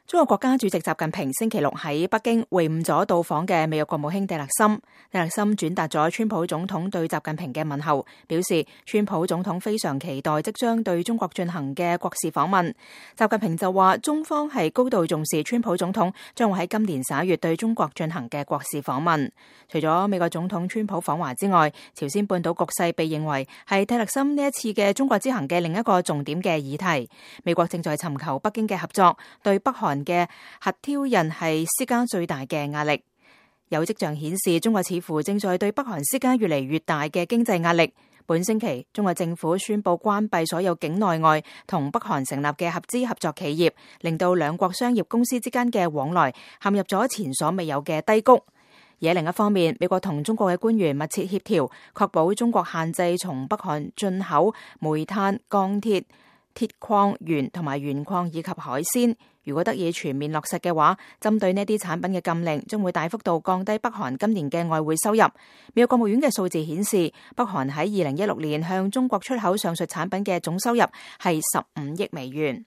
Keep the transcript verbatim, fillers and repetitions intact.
中國國家主席習近平星期六喺北京會晤咗到訪嘅美國國務卿蒂勒森。蒂勒森轉達咗川普總統對習近平嘅問候，表示川普總統非常期待即將對中國進行嘅國事訪問。習近平就話，中方係高度重視川普總統將會喺今年十一月對中國進行嘅國事訪問。除咗美國總統川普訪華之外，朝鮮半島局勢被認為係蒂勒森呢一次嘅中國之行嘅另一個重點嘅議題。美國正在尋求北京嘅合作，對北韓嘅核挑釁係施加最大嘅壓力。有跡象顯示，中國似乎正在對北韓施加越嚟越大嘅經濟壓力。本星期，中國政府宣布關閉所有境內外同北韓成立嘅合資合作企業，令到兩國商業公司之間嘅往來陷入咗前所未有嘅低谷。而喺另一方面，美國同中國嘅官員密切協調，確保中國限制從北韓進口煤炭、鋼鐵、鐵礦鉛同埋鉛礦以及海鮮。如果得以全面落實嘅話，針對呢啲產品嘅禁令將會大幅度降低北韓今年嘅外匯收入。美國國務院嘅數字顯示，北韓喺二零一六年向中國出口上述產品嘅總收入係十五億美元。